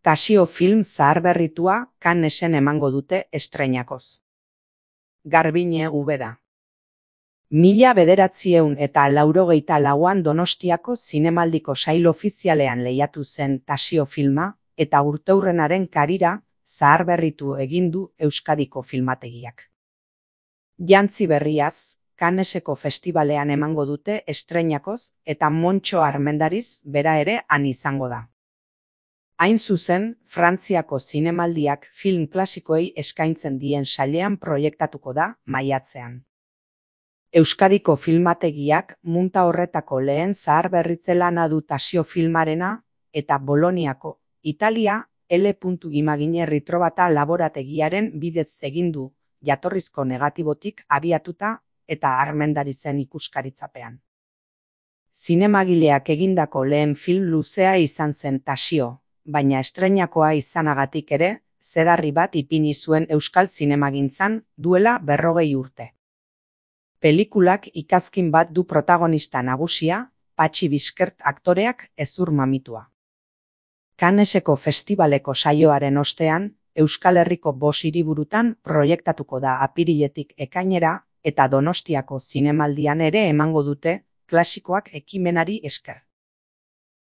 Tasio film zaharberritua Cannesen emango dute estreinakoz. Garbiñe Ubeda. 1984an Donostiako zinemaldiko sail ofizialean lehiatu zen Tasio filma eta urteurrenaren karira zaharberritu egin du Euskadiko filmategiak. Jantzi berriaz, Canneseko festibalean emango dute estreinakoz eta Montxo Armendariz bera ere han izango da. Hain zuzen, Frantziako zinemaldiak film klasikoei eskaintzen dien sailean proiektatuko da maiatzean. Euskadiko filmategiak munta horretako lehen zaharberritze lana du Tasio filmarena eta Boloniako, Italia, L. Imagine Ritrobata laborategiaren bidez egin du, jatorrizko negatibotik abiatuta eta Armendarizen ikuskaritzapean. Zinemagileak egindako lehen film luzea izan zen Tasio, baina estreinakoa izanagatik ere, zedarri bat ipini zuen euskal zinemagintzan duela 40 urte. Pelikulak ikazkin bat du protagonista nagusia, Patxi Bizkert aktoreak hezur mamitua. Canneseko festibaleko saioaren ostean, Euskal Herriko 5 hiriburutan proiektatuko da apiriletik ekainera eta Donostiako zinemaldian ere emango dute klasikoak ekimenari esker.